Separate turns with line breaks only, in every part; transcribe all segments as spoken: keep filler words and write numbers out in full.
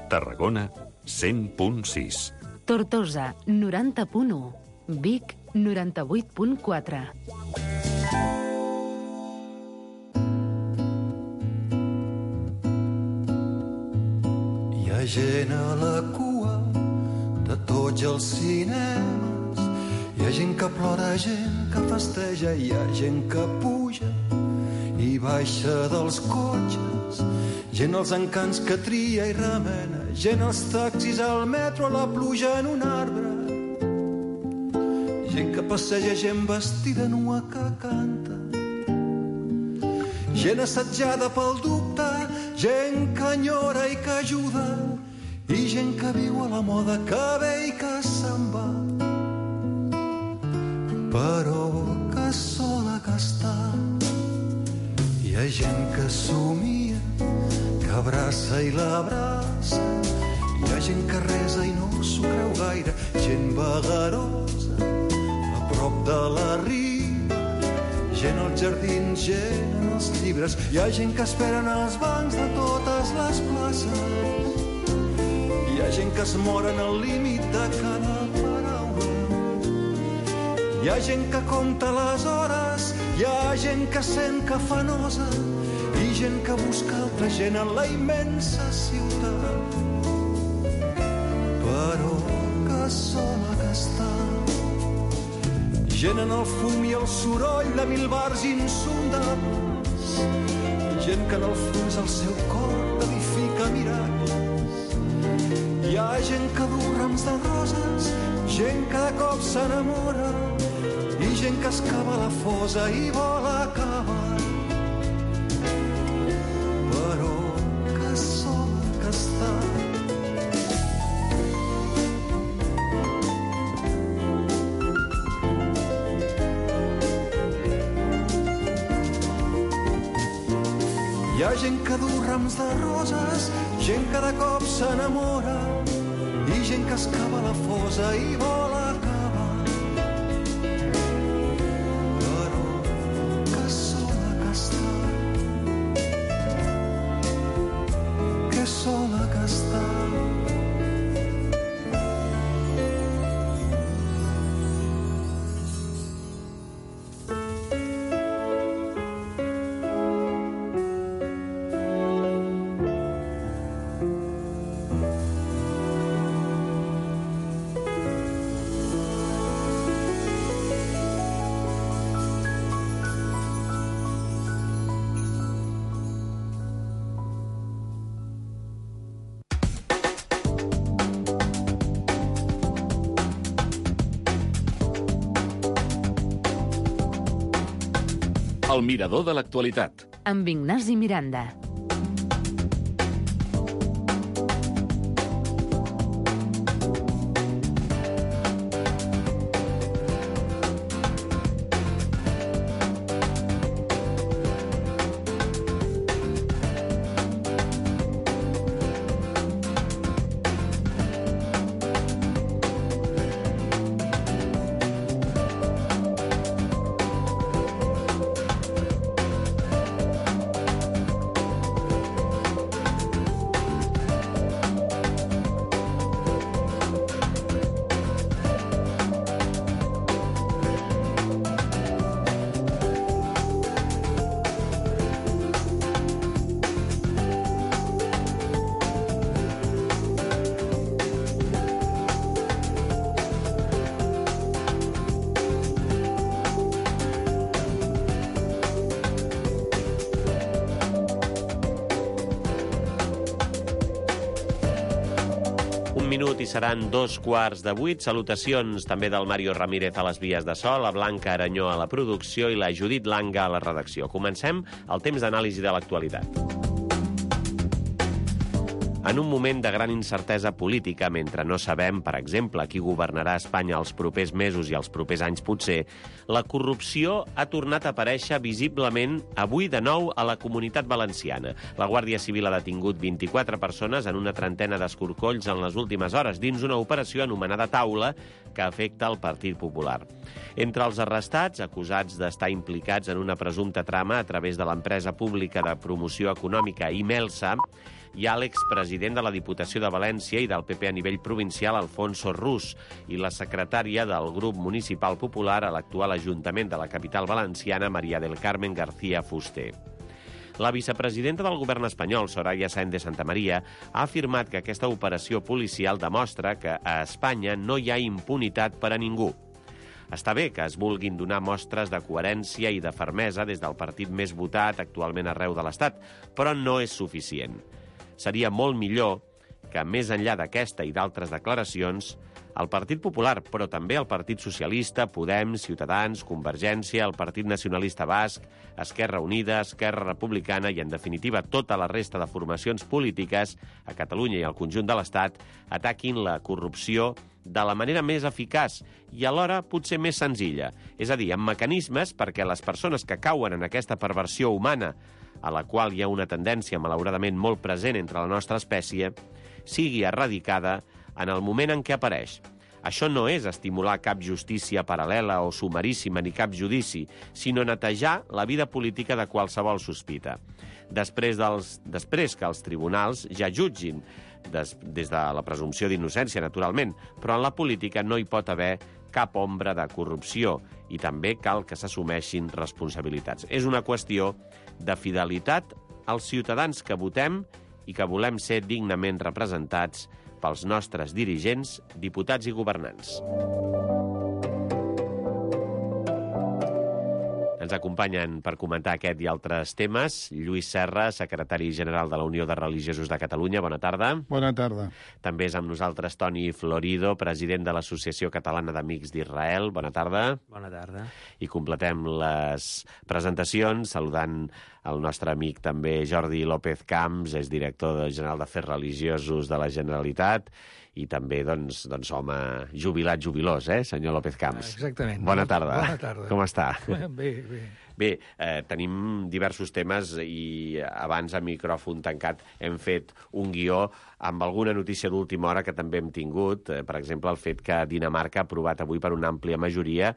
Tarragona, cent punt sis.
Tortosa, noranta punt u. Vic, noranta-vuit punt quatre.
Hi ha gent a la cua de tots els cinemes. Hi ha gent que plora, gent que festeja, hi ha gent que puja i baixa dels cotxes, gent als encants que tria i remena, gent als taxis, al metro, a la pluja en un arbre, gent que passeja, gent vestida nua que canta, gent assetjada pel dubte, gent que enyora i que ajuda, i gent que viu a la moda, que ve i que se'n va, però que sola que està. Hi ha gent que somia, que abraça i l'abraça. Hi ha gent que resa i no s'ho creu gaire. Gent vagarosa, a prop de la riba. Gent als jardins, gent en els llibres. Hi ha gent que espera en els bancs de totes les places. Hi ha gent que es mor en el límit de cada paraula. Hi ha gent que compta les hores, hi ha gent que sent que fa nosa i gent que busca altra gent en la immensa ciutat. Però que sola que està. Gent en el fum i el soroll de mil bars insondables. Gent que en el fons el seu cor edifica miracles. Hi ha gent que du rams de roses, gent que de cop s'enamora i gent que es cava la fosa i vol acabar. Però que sola que està. Hi ha gent que du rams de roses, gent que de cop s'enamora i gent que es cava la fosa i vol acabar. Sola que està.
El mirador de l'actualitat.
Amb Ignasi Miranda.
minut i seran dos quarts de vuit. Salutacions també del Mario Ramírez a les vies de so, la Blanca Aranyó a la producció i la Judit Langa a la redacció. Comencem el temps d'anàlisi de l'actualitat. En un moment de gran incertesa política, mentre no sabem, per exemple, qui governarà Espanya els propers mesos i els propers anys potser, la corrupció ha tornat a aparèixer visiblement avui de nou a la Comunitat Valenciana. La Guàrdia Civil ha detingut vint-i-quatre persones en una trentena d'escorcolls en les últimes hores, dins una operació anomenada Taula, que afecta el Partit Popular. Entre els arrestats, acusats d'estar implicats en una presumpta trama a través de l'empresa pública de promoció econòmica Imelsa, Hi ha l'expresident de la Diputació de València i del P P a nivell provincial, Alfonso Rus, i la secretària del grup municipal popular a l'actual Ajuntament de la capital valenciana, María del Carmen García Fuster. La vicepresidenta del govern espanyol, Soraya Sáenz de Santamaría, ha afirmat que aquesta operació policial demostra que a Espanya no hi ha impunitat per a ningú. Està bé que es vulguin donar mostres de coherència i de fermesa des del partit més votat actualment arreu de l'Estat, però no és suficient. Seria molt millor que, més enllà d'aquesta i d'altres declaracions, el Partit Popular, però també el Partit Socialista, Podem, Ciutadans, Convergència, el Partit Nacionalista Basc, Esquerra Unida, Esquerra Republicana i, en definitiva, tota la resta de formacions polítiques a Catalunya i al conjunt de l'Estat ataquin la corrupció de la manera més eficaç i alhora potser més senzilla, és a dir, amb mecanismes perquè les persones que cauen en aquesta perversió humana, a la qual hi ha una tendència malauradament molt present entre la nostra espècie, sigui erradicada en el moment en què apareix. Això no és estimular cap justícia paral·lela o sumaríssima ni cap judici, sinó netejar la vida política de qualsevol sospita. Després, dels, després que els tribunals ja jutgin, des, des de la presumpció d'innocència, naturalment, però en la política no hi pot haver cap ombra de corrupció i també cal que s'assumeixin responsabilitats. És una qüestió de fidelitat als ciutadans que votem i que volem ser dignament representats pels nostres dirigents, diputats i governants. Ens acompanyen per comentar aquest i altres temes Lluís Serra, secretari general de la Unió de Religiosos de Catalunya. Bona tarda.
Bona tarda.
També és amb nosaltres Toni Florido, president de l'Associació Catalana d'Amics d'Israel. Bona tarda.
Bona tarda.
I completem les presentacions saludant el nostre amic també Jordi López Camps, és director general d'Afers Religiosos de la Generalitat i també, doncs, doncs home jubilat, jubilós, eh, senyor López Camps?
Exactament.
Bona tarda.
Bona tarda.
Com està?
Bé, bé.
Bé, eh, tenim diversos temes i abans a micròfon tancat hem fet un guió amb alguna notícia d'última hora que també hem tingut. Eh, per exemple, el fet que Dinamarca ha aprovat avui per una àmplia majoria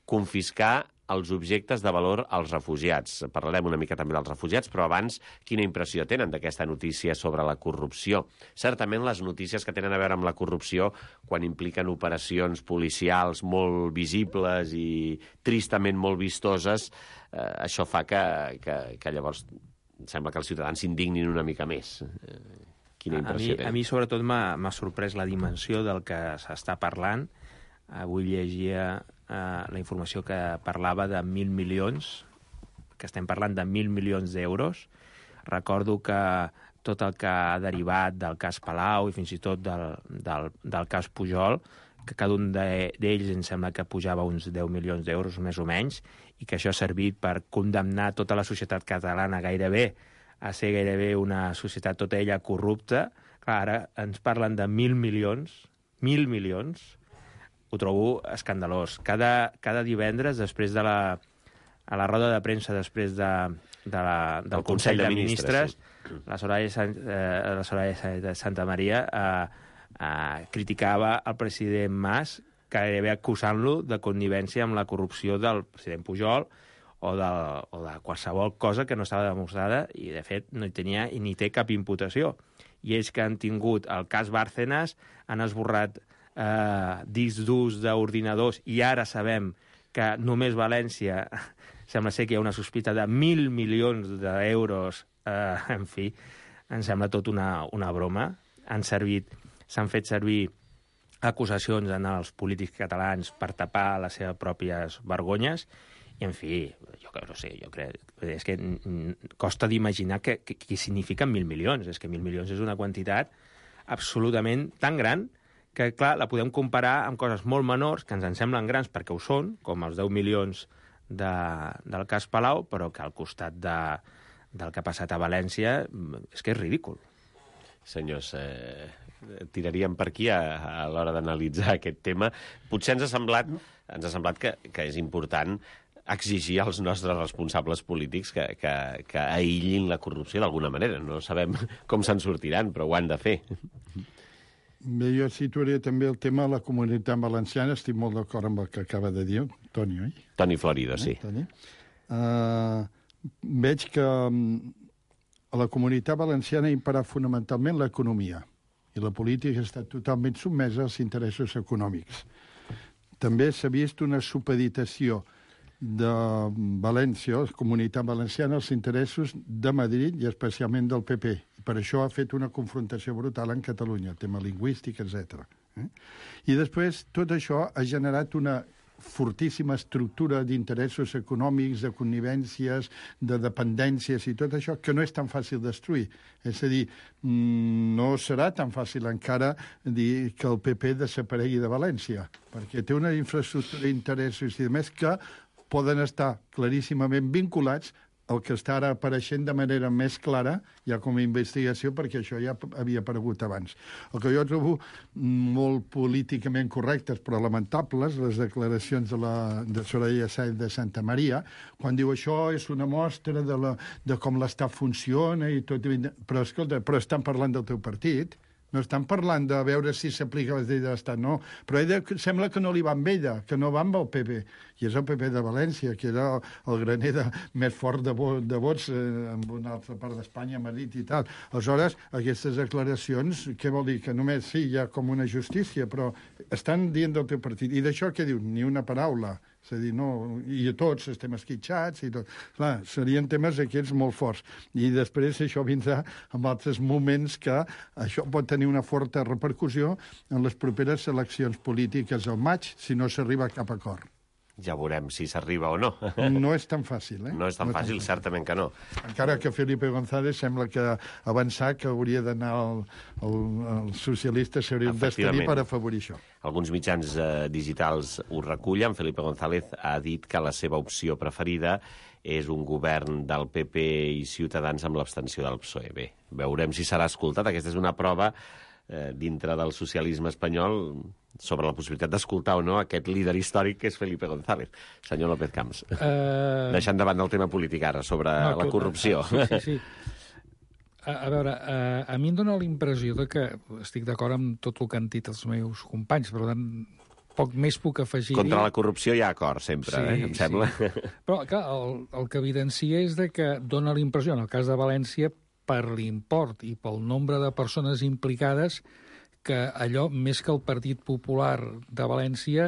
confiscar els objectes de valor als refugiats. Parlarem una mica també dels refugiats, però abans, quina impressió tenen d'aquesta notícia sobre la corrupció? Certament les notícies que tenen a veure amb la corrupció, quan impliquen operacions policials molt visibles i tristament molt vistoses, eh, això fa que, que, que llavors sembla que els ciutadans s'indignin una mica més. Eh, quina impressió
a mi,
tenen?
A mi, sobretot, m'ha sorprès la dimensió del que s'està parlant. Avui llegia eh, la informació que parlava de mil milions, que estem parlant de mil milions d'euros. Recordo que tot el que ha derivat del cas Palau i fins i tot del, del, del cas Pujol, que cada un d'ells em sembla que pujava uns deu milions d'euros, més o menys, i que això ha servit per condemnar tota la societat catalana gairebé a ser gairebé una societat tota ella corrupta. Clar, ara ens parlen de mil milions, mil milions, ho trobo escandalós. Cada, cada divendres, després de la, a la roda de premsa, després de, de la, del
El
Consell de Ministres,
sí.
la Soraya, eh, la Soraya de Santamaría eh, eh, criticava el president Mas, gairebé acusant-lo de connivència amb la corrupció del president Pujol o de, o de qualsevol cosa que no estava demostrada i, de fet, no hi tenia ni té cap imputació. I ells que han tingut el cas Bárcenas han esborrat Uh, discs durs d'ordinadors i ara sabem que només València sembla ser que hi ha una sospita de mil milions d'euros, uh, en fi, em sembla tot una, una broma. Han servit, s'han fet servir acusacions en els polítics catalans per tapar les seves pròpies vergonyes i, en fi, jo no sé, jo crec, és que costa d'imaginar què signifiquen mil milions. És que mil milions és una quantitat absolutament tan gran que, clar, la podem comparar amb coses molt menors, que ens en semblen grans perquè ho són, com els deu milions de, del cas Palau, però que al costat de, del que ha passat a València és que és ridícul.
Senyors, eh, tiraríem per aquí a, a l'hora d'analitzar aquest tema. Potser ens ha semblat, ens ha semblat que, que és important exigir als nostres responsables polítics que, que, que aïllin la corrupció d'alguna manera. No sabem com se'n sortiran, però ho han de fer.
Bé, jo situaré també el tema de la comunitat valenciana. Estic molt d'acord amb el que acaba de dir Toni, oi?
Toni Florido, sí.
Eh, Toni? Uh, veig que um, a la Comunitat Valenciana imperà fonamentalment l'economia i la política està totalment sotmesa als interessos econòmics. També s'ha vist una supeditació de València, la Comunitat Valenciana, als interessos de Madrid i especialment del P P. Per això ha fet una confrontació brutal en Catalunya, tema lingüístic, etcètera. Eh? I després tot això ha generat una fortíssima estructura d'interessos econòmics, de connivències, de dependències i tot això, que no és tan fàcil destruir. És a dir, no serà tan fàcil encara dir que el P P desaparegui de València, perquè té una infraestructura d'interessos i de més que poden estar claríssimament vinculats el que està ara apareixent de manera més clara, ja com a investigació, perquè això ja havia aparegut abans. El que jo trobo molt políticament correctes, però lamentables, les declaracions de, la, de Soraya Sáenz de Santamaría, quan diu això és una mostra de, la, de com l'Estat funciona i tot. Però, escolta, però estan parlant del teu partit. No estan parlant de veure si s'aplica les lleis de l'Estat, no. Però ella sembla que no li va amb ella, que no va amb el P P. I és el P P de València, que era el graner de, més fort de, vo, de vots eh, en una altra part d'Espanya, Madrid i tal. Aleshores, aquestes declaracions, què vol dir? Que només, sí, hi ha com una justícia, però estan dient del teu partit. I d'això què diu? Ni una paraula. És a dir, no, i tots estem esquitxats i tot. Clar, serien temes aquests molt forts. I després això vindrà en altres moments que això pot tenir una forta repercussió en les properes eleccions polítiques al maig, si no s'arriba a cap acord.
Ja veurem si s'arriba o no.
No és tan fàcil, eh?
No és tan
no
fàcil, tan certament que no.
Encara que Felipe González sembla que avançar que hauria d'anar el, el, els socialistes s'haurien d'establir per afavorir això.
Alguns mitjans eh, digitals ho recullen. Felipe González ha dit que la seva opció preferida és un govern del P P i Ciutadans amb l'abstenció del P S O E. Bé, veurem si serà escoltat. Aquesta és una prova eh, dintre del socialisme espanyol sobre la possibilitat d'escoltar o no aquest líder històric que és Felipe González. Senyor López Camps, uh... deixant davant del tema polític ara, sobre no, la corrupció.
Sí, sí, sí. A, a veure, a, a mi em dóna la impressió de que estic d'acord amb tot el que han dit els meus companys, per tant, poc més puc afegir.
Contra la corrupció hi ha acord, sempre, sí, eh, em sí. sembla.
Però, clar, el, el que evidencia és de que dóna la impressió, en el cas de València, per l'import i pel nombre de persones implicades, que allò, més que el Partit Popular de València,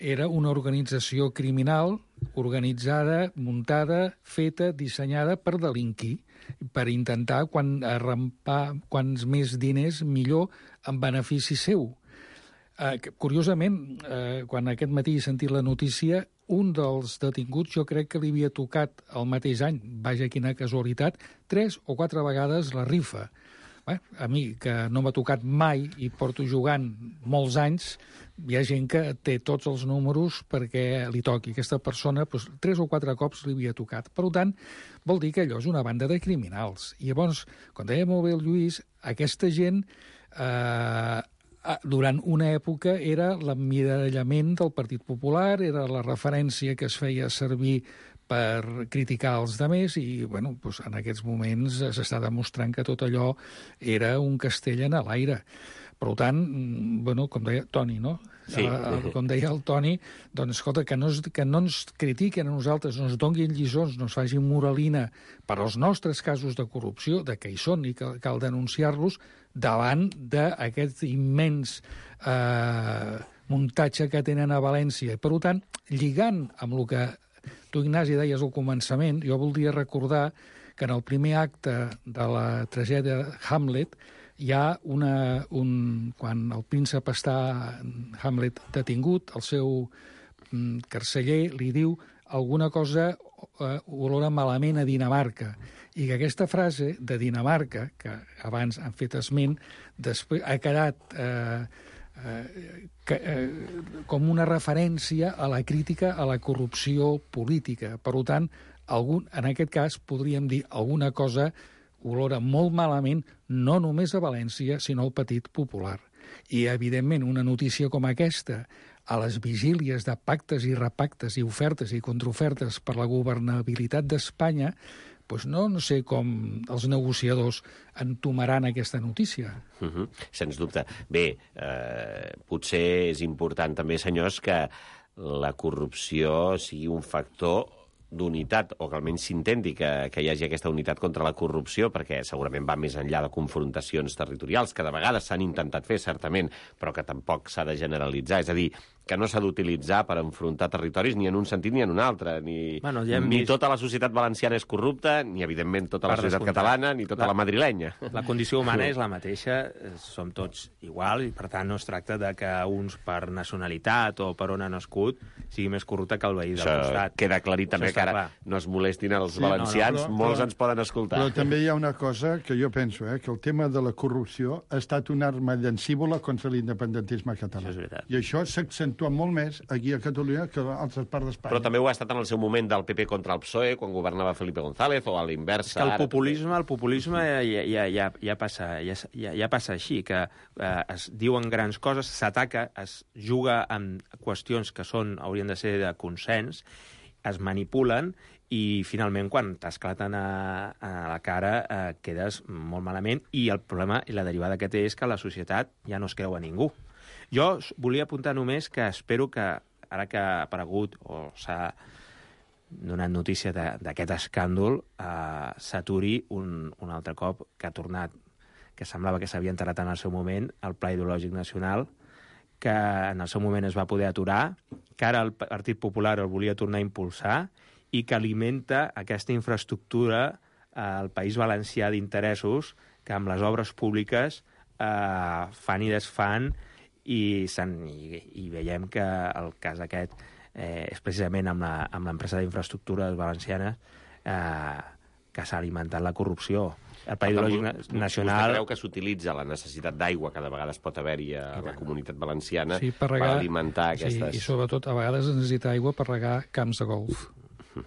era una organització criminal organitzada, muntada, feta, dissenyada per delinquir, per intentar quan arrampar quants més diners millor en benefici seu. Eh, curiosament, eh, quan aquest matí he sentit la notícia, un dels detinguts jo crec que li havia tocat el mateix any, vaja quina casualitat, tres o quatre vegades la rifa. Bé, a mi, que no m'ha tocat mai i porto jugant molts anys, hi ha gent que té tots els números perquè li toqui. Aquesta persona, doncs, tres o quatre cops li havia tocat. Per tant, vol dir que allò és una banda de criminals. I llavors, com deia molt bé el Lluís, aquesta gent, eh, durant una època, era l'emmirallament del Partit Popular, era la referència que es feia servir per criticar els demés i, bueno, doncs en aquests moments s'està demostrant que tot allò era un castell en l'aire. Per tant, bueno, com deia Toni, no?
Sí.
Uh, com deia el Toni, doncs, escolta, que no, es, que no ens critiquen a nosaltres, no ens donguin lliçons, no ens facin moralina per als nostres casos de corrupció, de que hi són i que cal denunciar-los, davant d'aquest immens eh, muntatge que tenen a València. Per tant, lligant amb el que tu, Ignasi, deies al començament, jo voldria recordar que en el primer acte de la tragèdia Hamlet hi ha una... Un, quan el príncep està, Hamlet, detingut, el seu mm, carceller li diu alguna cosa eh, olora malament a Dinamarca. I que aquesta frase de Dinamarca, que abans han fet esment, després ha quedat... Eh, Eh, que, eh, com una referència a la crítica a la corrupció política. Per tant, algun, en aquest cas podríem dir alguna cosa olora molt malament, no només a València, sinó al Partit Popular. I, evidentment, una notícia com aquesta, a les vigílies de pactes i repactes i ofertes i contraofertes per la governabilitat d'Espanya, doncs no, no sé com els negociadors entomaran aquesta notícia.
Uh -huh. Sens dubte. Bé, eh, potser és important també, senyors, que la corrupció sigui un factor d'unitat, o que almenys s'intenti que, que hi hagi aquesta unitat contra la corrupció, perquè segurament va més enllà de confrontacions territorials, que de vegades s'han intentat fer, certament, però que tampoc s'ha de generalitzar. És a dir, que no s'ha d'utilitzar per enfrontar territoris ni en un sentit ni en un altre. Ni,
bueno, ja
ni
vist...
tota la societat valenciana és corrupta, ni, evidentment, tota la
per
societat
descomptat.
catalana, ni tota la, la madrilenya.
La condició humana és la mateixa, som tots igual, i per tant no es tracta de que uns per nacionalitat o per on han nascut sigui més corrupte que el veí del
Això
costat.
queda aclarit també, que ara
clar.
no es molestin els
Sí,
valencians,
no, no, però,
molts
però,
ens poden escoltar.
Però també hi ha una cosa que jo penso, eh, que el tema de la corrupció ha estat una arma llancívola contra l'independentisme català.
Això és veritat.
I això s'accentua molt més aquí a Catalunya que a altres parts d'Espanya.
Però també ho ha estat en el seu moment del P P contra el P S O E, quan governava Felipe González, o a l'inversa.
És que el
ara
populisme, el populisme ja, ja, ja, ja, passa, ja, ja, ja passa així, que eh, es diuen grans coses, s'ataca, es juga amb qüestions que són, haurien de ser de consens, es manipulen i finalment quan t'esclaten a, a la cara eh, quedes molt malament, i el problema i la derivada que té és que la societat ja no es creu a ningú. Jo volia apuntar només que espero que ara que ha aparegut o s'ha donat notícia d'aquest escàndol, eh, s'aturi un, un altre cop, que ha tornat, que semblava que s'havia enterrat en el seu moment, el Pla Ideològic Nacional, que en el seu moment es va poder aturar, que ara el Partit Popular el volia tornar a impulsar i que alimenta aquesta infraestructura al País Valencià d'interessos que amb les obres públiques eh, fan i desfan, i, i, i veiem que el cas aquest eh, és precisament amb l'empresa d'infraestructures valencianes eh, que s'ha alimentat la corrupció. El Pla Ideològic Nacional...
Vostè creu que s'utilitza la necessitat d'aigua que de vegades pot haver-hi a la comunitat valenciana
sí, per, regar,
per alimentar aquestes...
Sí, i sobretot a vegades es necessita aigua per regar camps de golf.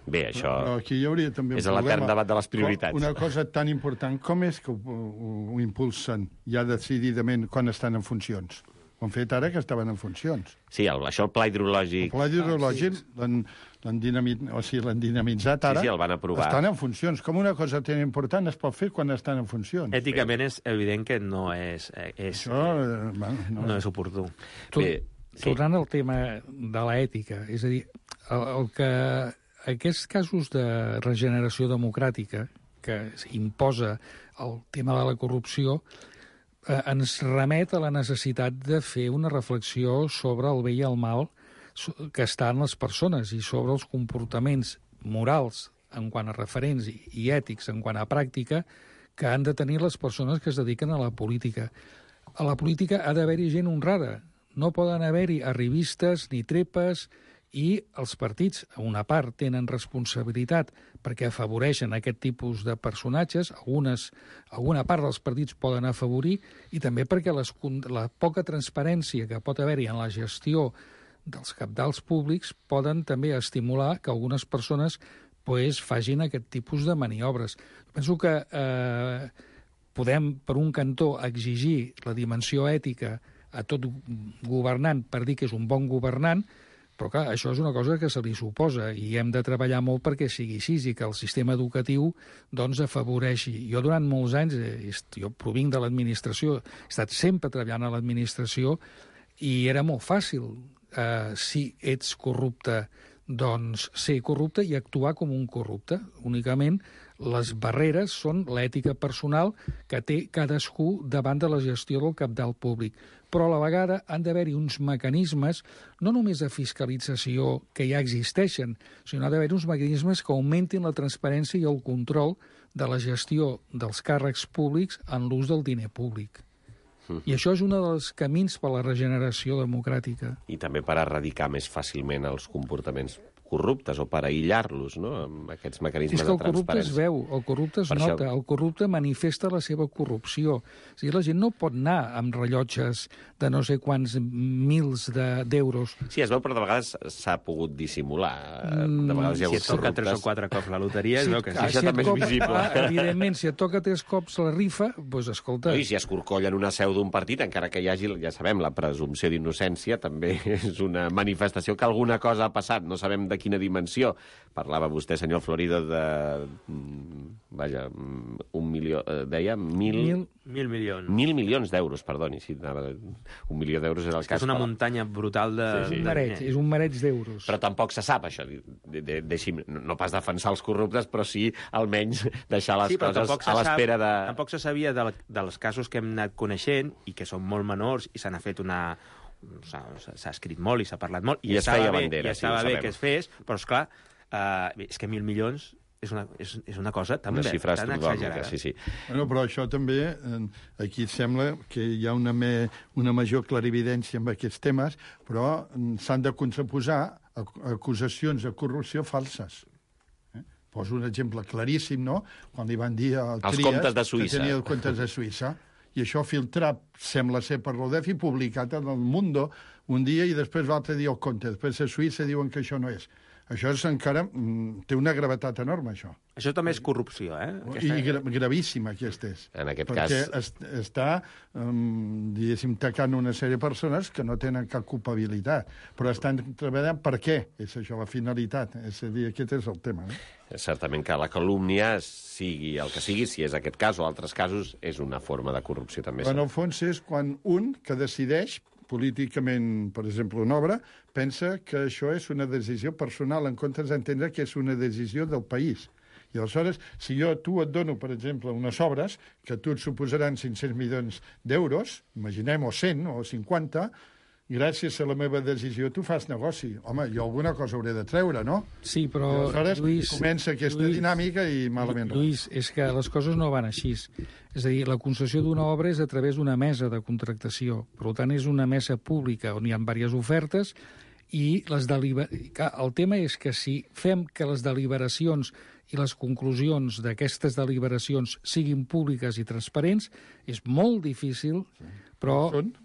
Bé, això
no, aquí hi hauria també
és
un
l'etern
problema.
debat de les prioritats.
Una cosa tan important, com és que ho, ho, ho impulsen ja decididament quan estan en funcions? Ho han fet ara que estaven en funcions.
Sí, el, això el pla hidrològic...
El pla hidrològic ah, sí. l'han dinamit, o sigui, dinamitzat ara.
Sí, sí, el van aprovar.
Estan en funcions. Com una cosa tan important es pot fer quan estan en funcions?
Èticament és evident que no és, és,
això, eh, bueno, no,
no és oportú.
Tu,
Bé, sí.
Tornant al tema de l'ètica, és a dir, el, el que aquests casos de regeneració democràtica que imposa el tema de la corrupció eh, ens remet a la necessitat de fer una reflexió sobre el bé i el mal que estan les persones i sobre els comportaments morals en quant a referents i, i ètics en quant a pràctica que han de tenir les persones que es dediquen a la política. A la política ha d'haver-hi gent honrada. No poden haver-hi arribistes ni trepes, i els partits, a una part, tenen responsabilitat perquè afavoreixen aquest tipus de personatges, algunes, alguna part dels partits poden afavorir, i també perquè les, la poca transparència que pot haver-hi en la gestió dels cabdals públics poden també estimular que algunes persones pues, facin aquest tipus de maniobres. Penso que eh, podem, per un cantó, exigir la dimensió ètica a tot governant per dir que és un bon governant, però clar, això és una cosa que se li suposa i hem de treballar molt perquè sigui així i que el sistema educatiu doncs afavoreixi. Jo durant molts anys, eh, jo provinc de l'administració, he estat sempre treballant a l'administració i era molt fàcil, eh, si ets corrupte, doncs ser corrupte i actuar com un corrupte. Únicament les barreres són l'ètica personal que té cadascú davant de la gestió del cabdal públic. Però a la vegada han d'haver-hi uns mecanismes, no només de fiscalització que ja existeixen, sinó d'haver-hi uns mecanismes que augmentin la transparència i el control de la gestió dels càrrecs públics en l'ús del diner públic. I això és un dels camins per a la regeneració democràtica.
I també per erradicar més fàcilment els comportaments corruptes o per aïllar-los, no?, amb aquests mecanismes de transparència.
És que el corrupte es veu, el corrupte es per nota, això... el corrupte manifesta la seva corrupció. O sigui, la gent no pot anar amb rellotges de no sé quants mils d'euros.
De, sí, es veu, però de vegades s'ha pogut dissimular. De vegades hi ha
si et toca tres o quatre cops la loteria,
sí,
es veu que sí.
Això
si
també és visible.
Ah, evidentment, si et toca tres cops la rifa, doncs escolta...
No, i si es corcollen una seu d'un partit, encara que hi hagi, ja sabem, la presumpció d'innocència, també és una manifestació que alguna cosa ha passat, no sabem de quina dimensió. Parlava vostè, senyor Florido, de... Vaja, un milió... Deia mil...
Mil, mil milions.
Mil milions d'euros, perdoni. Si anava... Un milió d'euros és el cas.
És una muntanya brutal de...
Sí, sí.
Un mareig, és un mareig d'euros.
Però tampoc se sap, això. De, de, deixi'm, no pas defensar els corruptes, però sí almenys deixar les
sí,
coses a l'espera de...
Tampoc se sabia de, dels casos que hem anat coneixent i que són molt menors i se n'ha fet una... S'ha escrit molt i s'ha parlat molt.
I, I es feia
bé,
bandera,
i estava
sí,
bé que es fes, però, esclar, Uh, és que mil milions és una, és, és una cosa tan,
una xifra
tan
astronòmica,
exagerada.
sí, sí.
Bueno, però això també, aquí sembla que hi ha una, me, una major clarividència amb aquests temes, però s'han de contraposar acusacions de corrupció falses. Eh? Poso un exemple claríssim, no?, quan li van dir al
Els
Trias
comptes de Suïssa.
que tenia els comptes de Suïssa, i això filtrat, sembla ser per l'Odef, i publicat en el Mundo un dia, i després l'altre dia el compte. Després a Suïssa diuen que això no és. Això és encara... Mm, té una gravetat enorme, això.
Això també és corrupció, eh?
Aquesta... I gra gravíssima, aquesta és.
En aquest
perquè
cas...
Perquè es, està, um, diguéssim, tacant una sèrie de persones que no tenen cap culpabilitat, però estan treballant per què? És això, la finalitat. És a dir, aquest és el tema. Eh?
Certament que la calúmnia, sigui el que sigui, si és aquest cas o altres casos, és una forma de corrupció, també.
En el fons és quan un que decideix políticament, per exemple, una obra, pensa que això és una decisió personal, en comptes d'entendre que és una decisió del país. I aleshores, si jo tu et dono, per exemple, unes obres que tu et suposaran cinc-cents milions d'euros, imaginem, o cent, o cinquanta, gràcies a la meva decisió tu fas negoci. Home, jo alguna cosa hauré de treure, no?
Sí, però,
I aleshores
Lluís...
comença aquesta
Lluís,
dinàmica i malament.
Lluís, és que les coses no van així. És a dir, la concessió d'una obra és a través d'una mesa de contractació. Per tant, és una mesa pública on hi ha diverses ofertes i les deliber... el tema és que si fem que les deliberacions i les conclusions d'aquestes deliberacions siguin públiques i transparents, és molt difícil, però...
Són?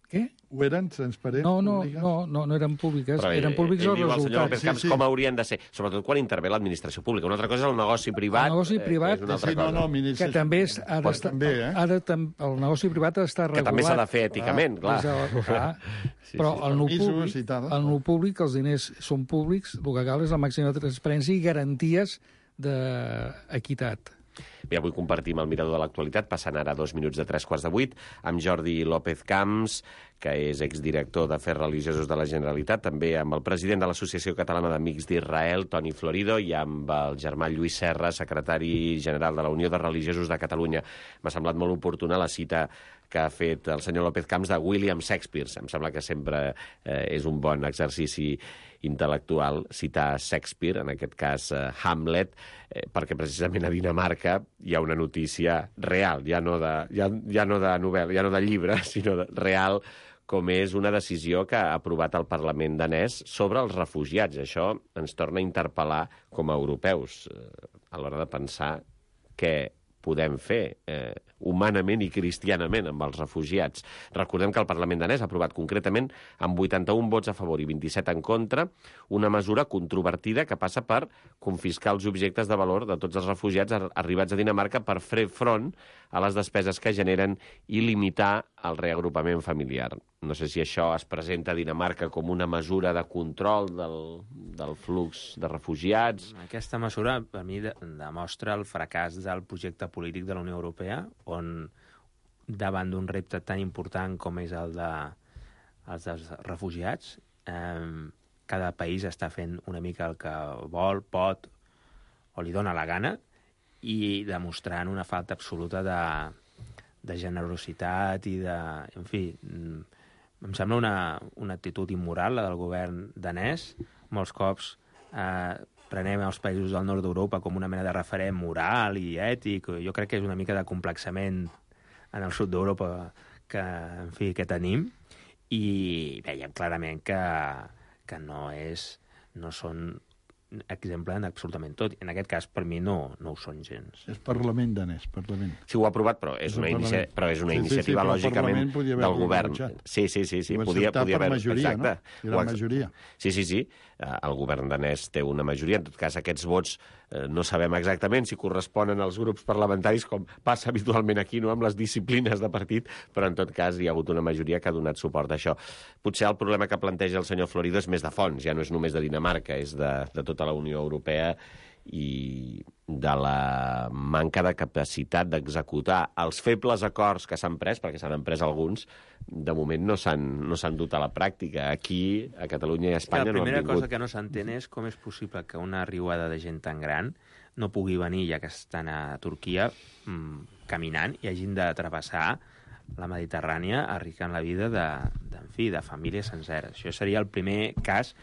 Què?
Ho eren transparents?
No, no,
públiques?
no, no, no eren públiques,
Però
eren públics
ell
els
diu al senyor López
resultats.
Camps
Sí, sí.
com haurien de ser, sobretot quan intervé l'administració pública. Una altra cosa és el negoci privat.
El negoci privat,
eh, és una altra
Sí, no,
cosa.
no, ministre...
Que també és, ha
Pot
d'estar,
també, eh?
ha de, tam, el negoci privat ha d'estar
Que
regulat.
també s'ha de fer èticament, clar.
És el, clar.
Sí,
Però
sí.
el no
Permisos
públic,
i tal.
el no públic, els diners són públics, el que cal és la màxima transparència i garanties d'equitat.
Bé, avui compartim el mirador de l'actualitat, passant ara dos minuts de tres quarts de vuit, amb Jordi López Camps, que és exdirector d'Afers Religiosos de la Generalitat, també amb el president de l'Associació Catalana d'Amics d'Israel, Toni Florido, i amb el germà Lluís Serra, secretari general de la Unió de Religiosos de Catalunya. M'ha semblat molt oportuna la cita que ha fet el senyor López Camps de William Shakespeare. Em sembla que sempre eh, és un bon exercici intel·lectual citar Shakespeare, en aquest cas eh, Hamlet, eh, perquè precisament a Dinamarca hi ha una notícia real, ja no de, ja, ja no de novel·la, ja no de llibre, sinó de, real, com és una decisió que ha aprovat el Parlament danès sobre els refugiats. Això ens torna a interpel·lar com a europeus eh, a l'hora de pensar què podem fer eh, humanament i cristianament amb els refugiats. Recordem que el Parlament danès ha aprovat concretament amb vuitanta-un vots a favor i vint-i-set en contra una mesura controvertida que passa per confiscar els objectes de valor de tots els refugiats arribats a Dinamarca per fer front a les despeses que generen i limitar el reagrupament familiar. No sé si això es presenta a Dinamarca com una mesura de control del, del flux de refugiats.
Aquesta mesura, per mi, de, demostra el fracàs del projecte polític de la Unió Europea, on, davant d'un repte tan important com és el de, els dels refugiats, eh, cada país està fent una mica el que vol, pot o li dona la gana, i demostrant una falta absoluta de, de generositat i de... En fi, em sembla una, una actitud immoral, la del govern danès. Molts cops eh, prenem els països del nord d'Europa com una mena de referent moral i ètic. Jo crec que és una mica de complexament en el sud d'Europa que, en fi, que tenim, i veiem clarament que, que no és, no són exemple en absolutament tot. En aquest cas, per mi, no, no ho són gens.
És Parlament danès, Parlament.
Sí, ho ha aprovat, però és,
És
una,
el
inicia...
Parlament.
però és una
Sí, sí, sí,
iniciativa,
però el
lògicament,
Parlament podia
del
haver-ho
govern.
rebutjat.
Sí, sí, sí, sí
Ho va
podia,
acceptar
podia
per
haver...
majoria,
Exacte.
no? Era
Ho ha-
majoria.
Sí, sí, sí. Eh, El govern danès té una majoria. En tot cas, aquests vots eh, no sabem exactament si corresponen als grups parlamentaris, com passa habitualment aquí, no?, amb les disciplines de partit, però en tot cas hi ha hagut una majoria que ha donat suport a això. Potser el problema que planteja el senyor Florido és més de fons, ja no és només de Dinamarca, és de, de tota la Unió Europea i de la manca de capacitat d'executar els febles acords que s'han pres, perquè s'han pres alguns, de moment no s'han no s'han dut a la pràctica. Aquí, a Catalunya i a Espanya, no han
La primera
vingut.
cosa que no s'entén és com és possible que una riuada de gent tan gran no pugui venir, ja que estan a Turquia, mmm, caminant, i hagin de travessar la Mediterrània arriscant la vida de, de, en fi, de famílies senceres. Això seria el primer cas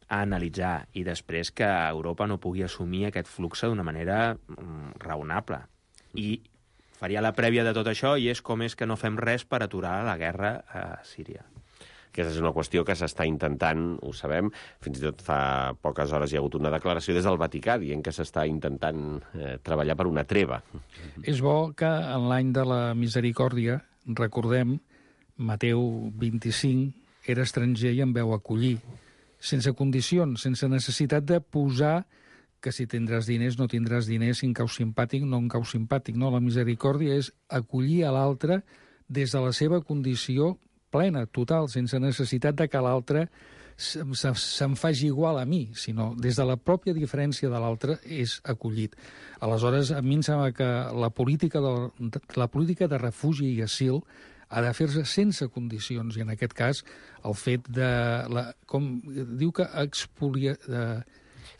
a analitzar, i després que Europa no pugui assumir aquest flux d'una manera mm, raonable. I faria la prèvia de tot això, i és com és que no fem res per aturar la guerra a Síria.
Aquesta és una qüestió que s'està intentant, ho sabem, fins i tot fa poques hores hi ha hagut una declaració des del Vaticà dient que s'està intentant eh, treballar per una treva.
És bo que en l'any de la misericòrdia, recordem, Mateu vint-i-cinc era estranger i en veu acollir, sense condicions, sense necessitat de posar que si tindràs diners, no tindràs diners, si en cau simpàtic, no en cau simpàtic. No, la misericòrdia és acollir a l'altre des de la seva condició plena, total, sense necessitat de que l'altre se'n faci igual a mi, sinó des de la pròpia diferència de l'altre és acollit. Aleshores, a mi em sembla que la política de, la política de refugi i asil ha de fer-se sense condicions, i en aquest cas el fet de... La, com diu que expolia... De,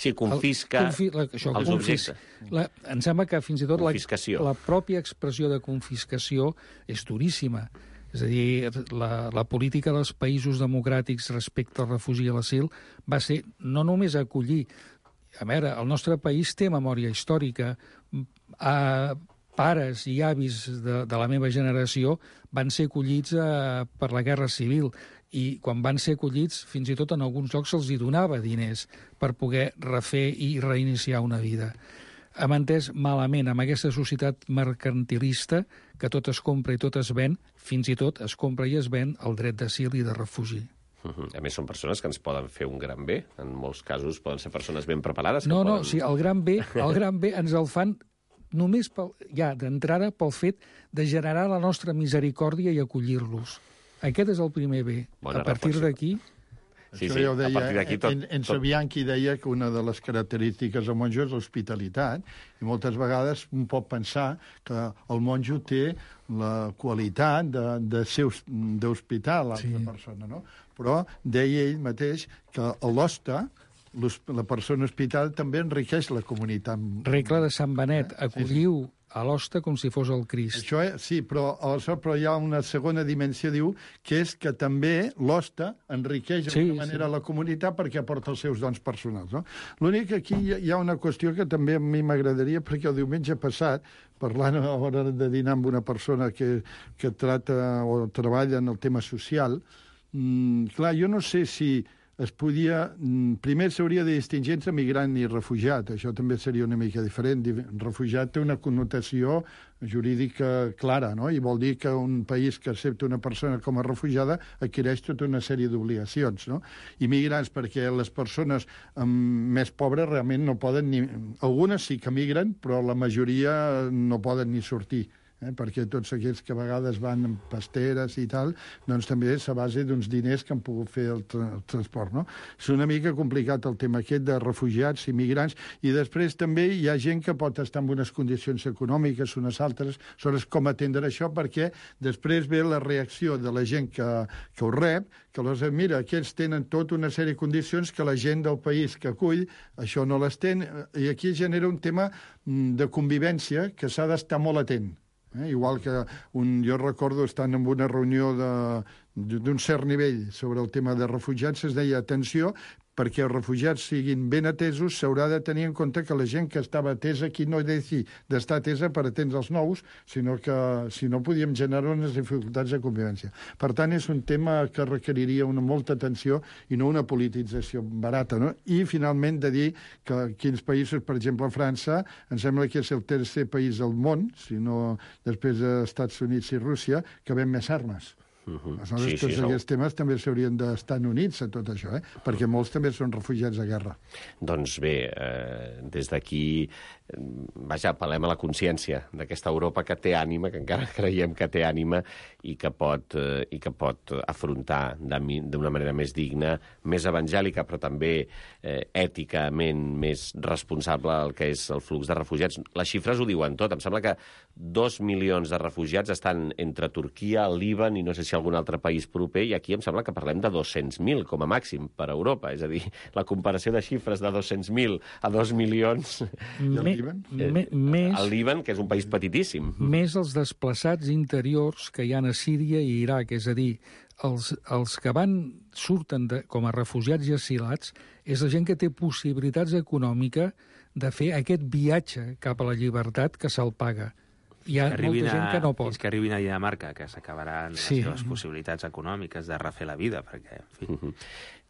Sí, confisca
el, confi, la, això,
els
confis,
objectes.
La, em sembla que fins i tot la,
Confiscació.
la pròpia expressió de confiscació és duríssima. És a dir, la, la política dels països democràtics respecte al refugi i a l'asil va ser no només acollir... A veure, el nostre país té memòria històrica. A pares i avis de, de la meva generació van ser acollits a, per la Guerra Civil, i quan van ser acollits, fins i tot en alguns llocs se'ls hi donava diners per poder refer i reiniciar una vida. Hem entès malament amb aquesta societat mercantilista que tot es compra i tot es ven, fins i tot es compra i es ven el dret d'asil i de refugi.
Uh-huh. A més, són persones que ens poden fer un gran bé. En molts casos poden ser persones ben preparades. Que
no,
poden...
no, sí, el gran bé, el gran bé ens el fan només pel, ja d'entrada pel fet de generar la nostra misericòrdia i acollir-los. Aquest és el primer bé.
Bona
a partir
reflexió.
d'aquí...
Sí,
Això
sí,
ja ho
a
deia,
partir d'aquí tot...
En, en
tot...
Sabianchi deia que una de les característiques del monjo és l'hospitalitat, i moltes vegades un pot pensar que el monjo té la qualitat de, de ser d'hospitar l'altra
Sí.
persona, no? Però deia ell mateix que l'hoste, la persona hospital, també enriqueix la comunitat.
Regla de Sant Benet, acolliu a l'hoste com si fos el Crist.
Això és, sí, però, aleshores, però hi ha una segona dimensió, diu, que és que també l'hoste enriqueix
Sí,
d'alguna manera
sí.
la comunitat perquè aporta els seus dons personals. No? L'únic que aquí hi ha- hi ha una qüestió que també a mi m'agradaria, perquè el diumenge passat, parlant a l'hora de dinar amb una persona que, que trata o treballa en el tema social, mmm, clar, jo no sé si es podia... Primer s'hauria de distingir entre migrant i refugiat. Això també seria una mica diferent. Refugiat té una connotació jurídica clara, no? I vol dir que un país que accepta una persona com a refugiada adquireix tota una sèrie d'obligacions, no? I migrants, perquè les persones um, més pobres realment no poden ni... Algunes sí que migren, però la majoria no poden ni sortir. Eh, perquè tots aquells que a vegades van amb pasteres i tal, doncs també és a base d'uns diners que han pogut fer el, tra el transport, no? És una mica complicat el tema aquest de refugiats i migrants, i després també hi ha gent que pot estar en unes condicions econòmiques, unes altres, aleshores com atendre això, perquè després ve la reacció de la gent que, que ho rep, que aleshores, mira, aquells tenen tota una sèrie de condicions que la gent del país que acull, això no les té, i aquí genera un tema de convivència que s'ha d'estar molt atent. Eh? Igual que un, jo recordo estant en una reunió d'un cert nivell sobre el tema de refugiats, es deia, atenció, perquè els refugiats siguin ben atesos, s'haurà de tenir en compte que la gent que estava atesa aquí no ha de dir d'estar atesa per atendre els nous, sinó que si no podíem generar unes dificultats de convivència. Per tant, és un tema que requeriria una molta atenció i no una politització barata, no? I, finalment, de dir que quins països, per exemple, França, em sembla que és el tercer país del món, si no després dels Estats Units i Rússia, que ven més armes. Uh-huh. Aleshores, sí, tots sí, aquests temes també s'haurien d'estar units a tot això, eh? Perquè molts també són refugiats de guerra.
Doncs bé, eh, des d'aquí, vaja, apel·lem a la consciència d'aquesta Europa que té ànima, que encara creiem que té ànima i que pot, eh, i que pot afrontar d'una manera més digna, més evangèlica, però també eh, èticament més responsable el que és el flux de refugiats. Les xifres ho diuen tot. Em sembla que dos milions de refugiats estan entre Turquia, el Líban i no sé si algun altre país proper, i aquí em sembla que parlem de dos-cents mil com a màxim per a Europa. És a dir, la comparació de xifres de dos-cents mil a dos milions...
Me, me, més,
el Líban, que és un país petitíssim.
Més els desplaçats interiors que hi ha a Síria i Iraq, és a dir, els, els que van surten de, com a refugiats i asilats, és la gent que té possibilitats econòmiques de fer aquest viatge cap a la llibertat que se'l paga. Hi ha molta gent que no pot.
Fins que arribin a Dinamarca, que s'acabaran sí. les seves possibilitats econòmiques de refer la vida, perquè, en fi...
Uh-huh.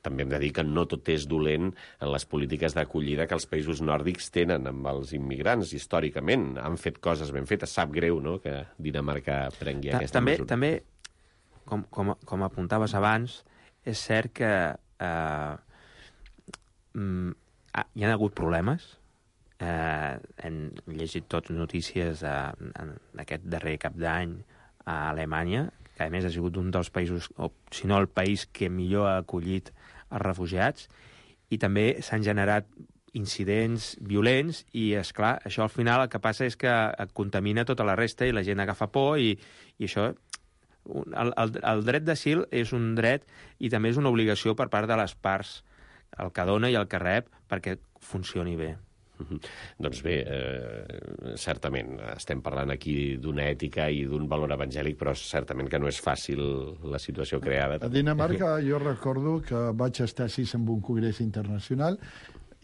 També hem de dir que no tot és dolent en les polítiques d'acollida que els països nòrdics tenen amb els immigrants, històricament. Han fet coses ben fetes. Sap greu, no?, que Dinamarca prengui Ta aquesta
també,
mesura.
També, com, com, com apuntaves abans, és cert que eh, mm, hi ha hagut problemes. Eh, hem llegit tots notícies eh, en aquest darrer cap d'any a Alemanya, que a més ha sigut un dels països, o si no el país que millor ha acollit els refugiats, i també s'han generat incidents violents i, és clar, això al final el que passa és que contamina tota la resta i la gent agafa por i, i això... El, el, el dret d'asil és un dret i també és una obligació per part de les parts, el que dona i el que rep, perquè funcioni bé.
Uh-huh. Doncs bé, eh, certament, estem parlant aquí d'una ètica i d'un valor evangèlic, però certament que no és fàcil la situació creada.
A Dinamarca jo recordo que vaig estar sis en un congrés internacional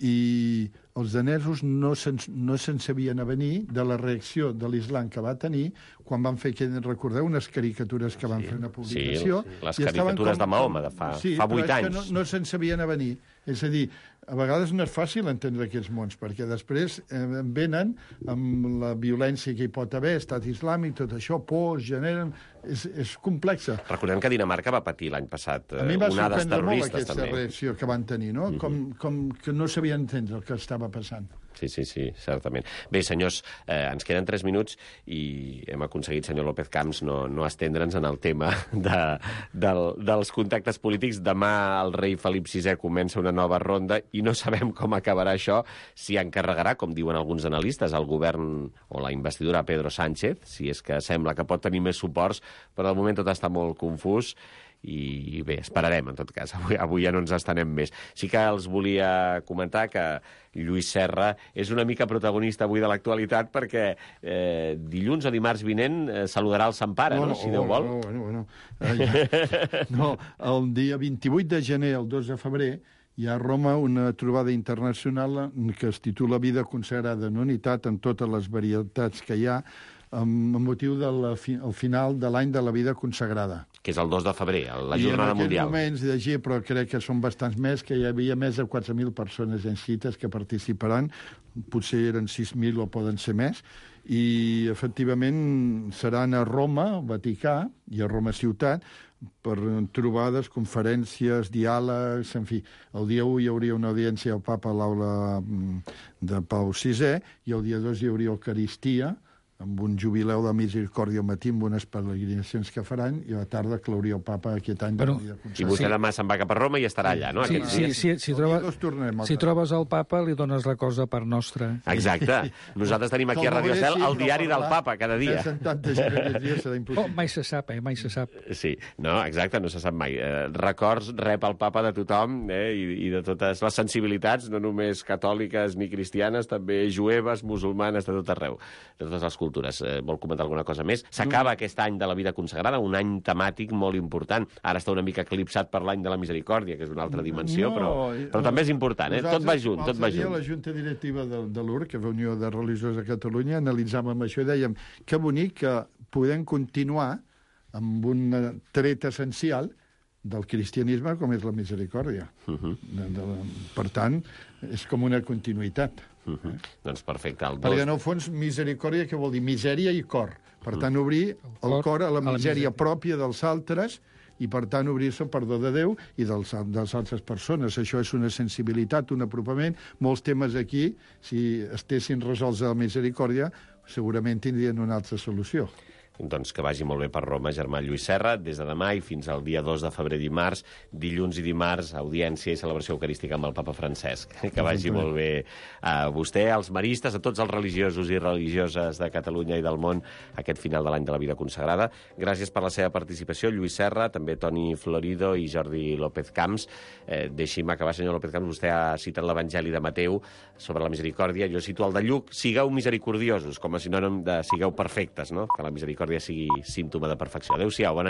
i els danesos no se'n no se sabien a venir de la reacció de l'islam que va tenir quan van fer, que recordeu, unes caricatures que van
sí,
fer una publicació.
Sí, les caricatures com, de Mahoma de fa,
sí,
fa vuit anys.
No, no se'n sabien a venir. És a dir, a vegades no és fàcil entendre aquests mons, perquè després eh, venen amb la violència que hi pot haver, estat islàmic, tot això, por, generen... És, és complexa.
Recordem que Dinamarca va patir l'any passat eh,
a mi va
onades
sorprendre molt
terroristes,
aquesta
també.
reacció que van tenir, no?
Mm-hmm.
com, com que no sabien entendre el que estava passant.
Sí, sí, sí, certament. Bé, senyors, eh, ens queden tres minuts i hem aconseguit, senyor López Camps, no, no estendre'ns en el tema de, del, dels contactes polítics. Demà el rei Felip sisè comença una nova ronda i no sabem com acabarà això, si encarregarà, com diuen alguns analistes, el govern o la investidura a Pedro Sánchez, si és que sembla que pot tenir més suports, però de moment tot està molt confús. I bé, esperarem, en tot cas. Avui, avui ja no ens estenem més. Sí que els volia comentar que Lluís Serra és una mica protagonista avui de l'actualitat perquè eh, dilluns o dimarts vinent eh, saludarà el Sant Pare, no? no? Si Déu vol.
No, bueno, bueno. Eh, no, el dia vint-i-vuit de gener, el dos de febrer, hi ha a Roma una trobada internacional que es titula Vida consagrada en unitat en totes les varietats que hi ha, amb motiu del fi, final de l'any de la vida consagrada.
Que és el dos de febrer, la jornada mundial.
I en aquells moments llegia, però crec que són bastants més, que hi havia més de quatre mil persones inscrites que participaran, potser eren sis mil o poden ser més, i efectivament seran a Roma, al Vaticà, i a Roma ciutat, per trobades, conferències, diàlegs, en fi. El dia u hi hauria una audiència al papa a l'aula de Pau sisè, i el dia dos hi hauria Eucaristia, amb un jubileu de misericòrdia al matí, amb unes peregrinacions que faran, i a la tarda clauria el papa aquest any.
Però,
de
I vostè sí. demà se'n va cap a Roma i estarà allà, no?
Sí, sí, sí, si, troba,
tornem,
si trobes el papa, li dones la cosa per nostra.
Exacte. Nosaltres tenim aquí a Radio Cel el diari del papa cada dia.
Oh, mai se sap, eh? Mai se sap.
Sí, no, exacte, no se sap mai. Eh, records rep el papa de tothom, eh, i, i de totes les sensibilitats, no només catòliques ni cristianes, també jueves, musulmanes, de tot arreu, de totes les cultures. cultures. Eh, vol comentar alguna cosa més? S'acaba aquest any de la vida consagrada, un any temàtic molt important. Ara està una mica eclipsat per l'any de la misericòrdia, que és una altra dimensió, no, però, però també és important, eh? Tot va junt, tot va junt.
La Junta Directiva de, de l'U R, que és la Unió de Religiosos de Catalunya, analitzàvem això i dèiem que bonic que podem continuar amb un tret essencial del cristianisme com és la misericòrdia. Uh -huh. de, de, per tant, és com una continuïtat.
Uh -huh. eh? Doncs perfecte. El dos...
Perquè, en el fons, misericòrdia, què vol dir? Misèria i cor. Per tant, obrir el cor a la misèria pròpia dels altres i, per tant, obrir-se al perdó de Déu i dels, de les altres persones. Això és una sensibilitat, un apropament. Molts temes aquí, si estessin resolts a la misericòrdia, segurament tindrien una altra solució.
Doncs que vagi molt bé per Roma, germà Lluís Serra, des de demà i fins al dia dos de febrer dimarts, dilluns i dimarts, audiència i celebració eucarística amb el papa Francesc. Que vagi molt bé a vostè, als maristes, a tots els religiosos i religioses de Catalunya i del món aquest final de l'any de la vida consagrada. Gràcies per la seva participació, Lluís Serra, també Toni Florido i Jordi López Camps. Eh, Deixi'm acabar, senyor López Camps, vostè ha citat l'Evangeli de Mateu sobre la misericòrdia. Jo cito el de Lluc, sigueu misericordiosos, com a sinònim de sigueu perfectes, no? Que la misericòrdia sigui símptoma de perfecció. Adéu-siau, bona nit.